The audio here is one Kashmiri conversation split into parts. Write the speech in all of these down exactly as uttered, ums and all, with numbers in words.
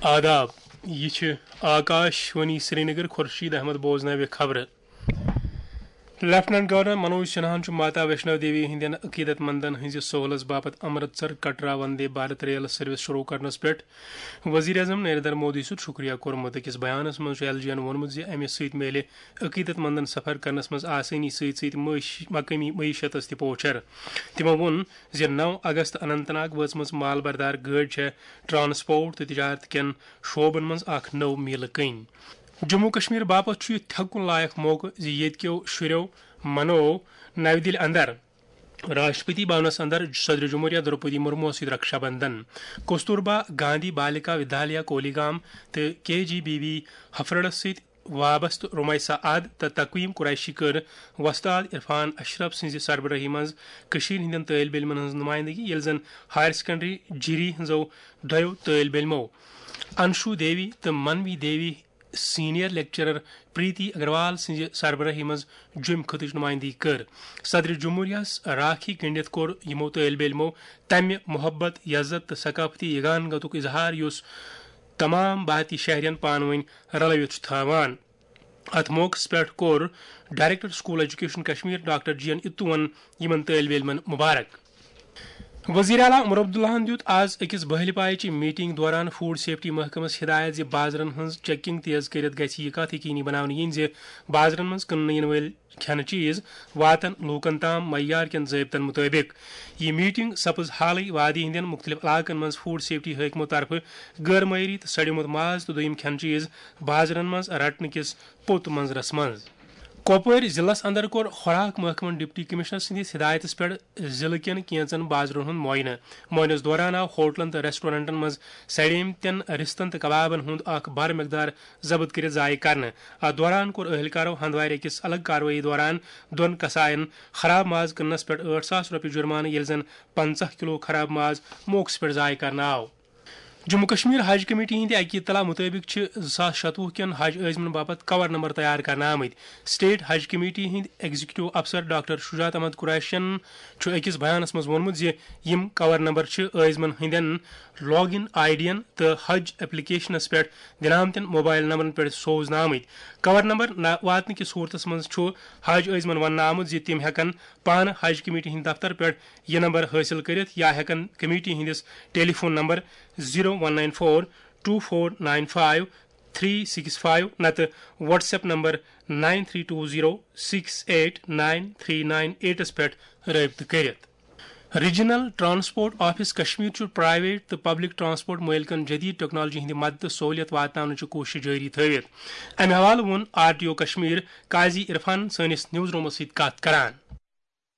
آداب، یہِ چھِ آکاش وانی سرینگر۔ خورشید احمد بوزناوِ خبرٕ۔ لیفٹیننٹ گورنر منوج سنہاہن چھُ ماتا ویشنو دیوی ہٕنٛدٮ۪ن عقیدت مندن ہٕنٛزِ سہولژ باپتھ امرتسر کٹرا وندے بھارت ریل سروس شروع کرنس پٮ۪ٹھ وزیر اعظم نریندر مودی سُنٛد شُکریہ کوٚرمُت۔ أکِس بیانس منٛز چھُ ایل جی ین ووٚنمُت زِ امہِ سۭتۍ میلہِ عقیدت مندن سفر کرنس منٛز آسٲنی سۭتۍ سۭتۍ معٲش-، مقٲمی معیشتس تہِ پوچھر۔ تِمو ووٚن زِ نو اگست اننت ناگ وٲژمٕژ مال بردار گٲڑۍ چھےٚ ٹرانسپورٹ تہٕ تجارت کٮ۪ن شعبن منٛز اکھ نٔو میٖلہٕ کٔنۍ۔ جموں کشمیر باپتھ چھُ یہِ تھٮ۪کُن لایق موقعہٕ زِ ییٚتہِ کٮ۪و شُرٮ۪و منوو نَوِ دِلہِ اندر راشٹرپتی بھونس اندر صدر جمہوریہ درپدی مرموس سۭتۍ رکشا بندھن۔ کستوربا گاندھی بالیکا ودیالیہ کولیگام تہٕ کے جی بی وی ہفرڑس سۭتۍ وابستہٕ رمایسا اد تہٕ تقویم قریشی کٔر وۄستاد عرفان اشرف سٕنٛزِ سربرٲہی منٛز کٔشیٖرِ ہٕنٛدٮ۪ن طٲلبہِ علمن ہٕنٛز نُمایندگی، ییٚلہِ زن ہایر سیکنڈری جیری ہٕنٛزو دۄیو طٲلبہِ علمو انشو دیوی تہٕ منوی دیوی سینئر لیکچرر پریتی اگروال سٕنٛزِ سربرٲہی منٛز جوٚمۍ خطٕچ نُمایندگی کٔر۔ صدر جمہوریہس راکھی گٔنڈِتھ کوٚر یِمو طٲلبہِ علمو تمہِ محبت، عزت تہٕ ثقافتی یگانگتُک اظہار یُس تمام بھارتی شہرین پانہٕ ؤنۍ رلٲوِتھ چھُ تھاوان۔ اتھ موقعس پٮ۪ٹھ کوٚر director school education Kashmir doctor G N اتوون یِمن طٲلبہِ علمن مبارک۔ وزیر اعلیٰ عمر عبداللہن دیُت آز أکِس بہلہِ پایچہِ میٹنگ دوران فوڈ سیفٹی محکمس ہدایت زِ بازرن ہٕنٛز چیکنگ تیز کٔرِتھ گژھِ یہِ کتھ یقینی بناونہٕ یِنۍ زِ بازرن منٛز کٕننہٕ یِنہٕ وٲلۍ کھٮ۪نہٕ چیٖز واتن لوٗکن تام معیار کٮ۪ن ضٲبطن مُطٲبِق۔ یہِ میٹنگ سپٕز حالٕے وادی ہٕنٛدٮ۪ن مُختٔلِف علاقن منٛز فوڈ سیفٹی حٲکمو طرفہٕ غٲر معیٲری تہٕ سڑیومُت ماز تہٕ دوٚیِم کھٮ۪نہٕ چیٖز بازرن منٛز رٹنہٕ کِس پوٚت منظرس منٛز۔ کۄپوٲرۍ ضلعس اندر کوٚر خوراک محکمن ڈپٹی کمشنر سٕنٛدِس ہدایتس پٮ۪ٹھ ضلعہٕ کٮ۪ن کینژن بازرن ہُنٛد معائنہٕ۔ معائنس دوران آو ہوٹلن تہٕ ریسٹورنٹن منٛز سڑیمتٮ۪ن رستن تہٕ کبابن ہُنٛد اکھ بڑ مقدار ضبط کٔرِتھ ضایع کرنہٕ۔ اتھ دوران کوٚر اہلکارو ہندوارِ أکِس الگ کاروٲیی دوران دۄن کساین خراب ماز کٕننس پٮ۪ٹھ ٲٹھ ساس رۄپیہِ جرمانہٕ، ییٚلہِ زن پنژاہ کلو خراب ماز موقعس پٮ۪ٹھ ضایع کرنہٕ آو۔ جموں کشمیر حج کمیٹی ہٕنٛدِ اکہِ اطلاع مُطٲبِق چھِ زٕ ساس شتوُہ کٮ۪ن حج عٲزمن باپتھ کور نمبر تیار کرنہٕ آمٕتۍ۔ اسٹیٹ حج کمیٹی ہٕنٛدۍ ایگزیکٹو افسر ڈاکٹر شجاعت احمد قریشین چھُ أکِس بیانس منٛز ووٚنمُت زِ یِم کور نمبر چھِ عٲزمن ہٕنٛدٮ۪ن لاگ ان آئی ڈین تہٕ حج ایپلیکیشنس پٮ۪ٹھ دِنہٕ آمتٮ۪ن موبائل نمبرن پٮ۪ٹھ سوزنہٕ آمٕتۍ۔ کور نمبر نہ واتنہٕ کِس صورتس منٛز چھُ حج عٲزمن وننہٕ آمُت زِ تِم ہٮ۪کن پانہٕ حج کمیٹی ہٕنٛدِ دفتر پٮ۪ٹھ یہِ نمبر حٲصِل کٔرِتھ یا ہٮ۪کن کمیٹی ہٕنٛدِس telephone number zero one nine four two four nine five three six five نتہٕ WhatsApp number nine three two zero six eight nine three nine ایٹس پٮ۪ٹھ رٲبطہٕ کٔرِتھ۔ ریجنل ٹرانسپورٹ آفس کشمیر چھُ پرائیویٹ تہٕ پبلک ٹرانسپورٹ مٲلکن جدید ٹیکنالوجی ہٕنٛدِ مدتہٕ سہولیت واتناونٕچہِ کوٗشش جٲری تھٲوِتھ۔ امہِ حوالہٕ ووٚن آر ٹی او کشمیر قاضی عرفان سٲنِس نیوز رومس سۭتۍ کتھ کران۔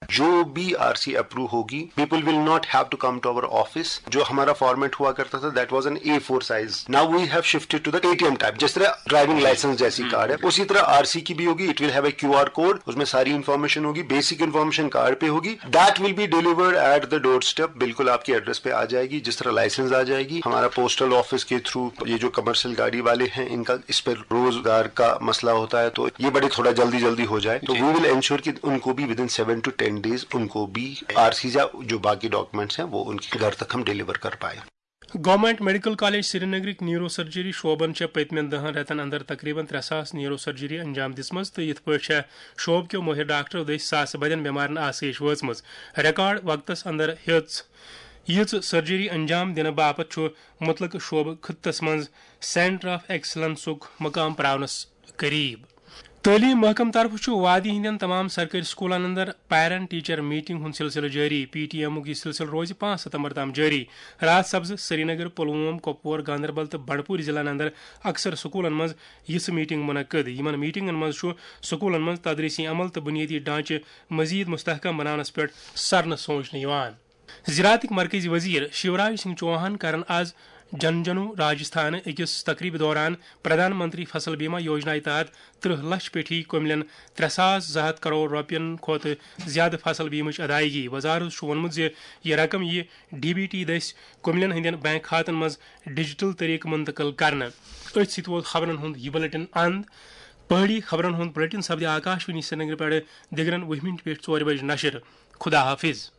जो भी आरसी अप्रूव होगी, people will not have to come to our office। जो हमारा फॉर्मेट हुआ करता था, that was an A four size। Now we have shifted to the ATM type। जिस तरह ड्राइविंग लाइसेंस जैसी कार्ड है, उसी तरह आरसी की भी होगी। It will have a QR code, उसमें सारी इन्फॉर्मेशन होगी, बेसिक इन्फॉर्मेशन कार्ड पे होगी। That will be delivered at the door step। बिल्कुल आपके एड्रेस पे आ जाएगी, जिस तरह लाइसेंस आ जाएगी। हमारा पोस्टल ऑफिस के थ्रू ये जो कमर्शियल गाड़ी वाले हैं, इनका इस पर रोजगार का मसला होता है, तो ये बड़े थोड़ा जल्दी जल्दी हो जाए। तो वी विल एंश्योर कि उनको भी within seven to ten days उनको भी आरसी या जो बाकी डॉक्यूमेंट्स हैं, वो उनके घर तक हम डिलीवर कर पाए। گورنمنٹ میڈیکل کالج سرینگرٕکۍ نیورو سرجری شعبن چھےٚ پٔتمٮ۪ن دَہَن رٮ۪تن اندر تقریباً ترٛےٚ ساس نیورو سرجری انجام دِژمٕژ تہٕ یِتھ پٲٹھۍ چھےٚ شعبہٕ کیو مٲہِر ڈاکٹرو دٔسۍ ساسہٕ بٔدٮ۪ن بٮ۪مارن آسٲیِش وٲژمٕژ۔ ریکارڈ وقتس اندر ہیٚژ یِژھ سرجری انجام دِنہٕ باپتھ چھُ مُتلقہٕ شعبہٕ خٕطس منٛز سینٹر آف ایکسلنسُک مقام پراونس قریب۔ تعلیٖم محکمہٕ طرفہٕ چھُ وادی ہٕنٛدٮ۪ن تمام سرکٲرۍ سکوٗلن اندر پیرنٹ ٹیچر میٹنگ ہُنٛد سلسلہٕ جٲری۔ پی ٹی ایمُک یہِ سلسلہٕ روزِ پانٛژھ ستمبر تام جٲری۔ راج سبزٕ، سرینگر، پلووم، کۄپوور، گاندربل تہٕ بنڈپور ضلعن اندر اکثر سکوٗلن منٛز یِژھٕ میٹنگ منعقد۔ یِمن میٹنگن منٛز چھُ سکوٗلن منٛز تدریسی عمل تہٕ بنیٲدی ڈھانچہٕ مزید مستحکم بناونس پٮ۪ٹھ سرنہٕ سوچنہٕ یِوان۔ زراعتٕکۍ مرکزی وزیر شیوراج سنگھ چوہان کرن آز جھنجھنو راجستھان أکِس تقریبہِ دوران پردھان منتری فصل بیمہ یوجنا تحت ترٕہ لچھ پیٹھی کٔملٮ۪ن ترٛےٚ ساس زٕ ہتھ کرور رۄپین کھۄتہٕ زیادٕ فصل بیمٕچ ادائیگی۔ وزارت چھُ ووٚنمُت زِ یہِ رقم یِیہِ ڈی بی ٹی دٔسۍ کٔملٮ۪ن ہٕنٛدٮ۪ن بینک کھاتن منٛز ڈیجیٹل طریقہٕ منتقل کرنہٕ۔ أتھۍ سۭتۍ ووت خبرن ہُنٛد یہِ بُلٹن اند۔ پہٲڑی خبرن ہُنٛد بُلٹن سپدِ آکاشوانی سرینگرٕ پٮ۪ٹھٕ دِگرن وُہہِ مِنٹہِ پٮ۪ٹھ ژورِ بجہِ نشر۔ خدا حافظ۔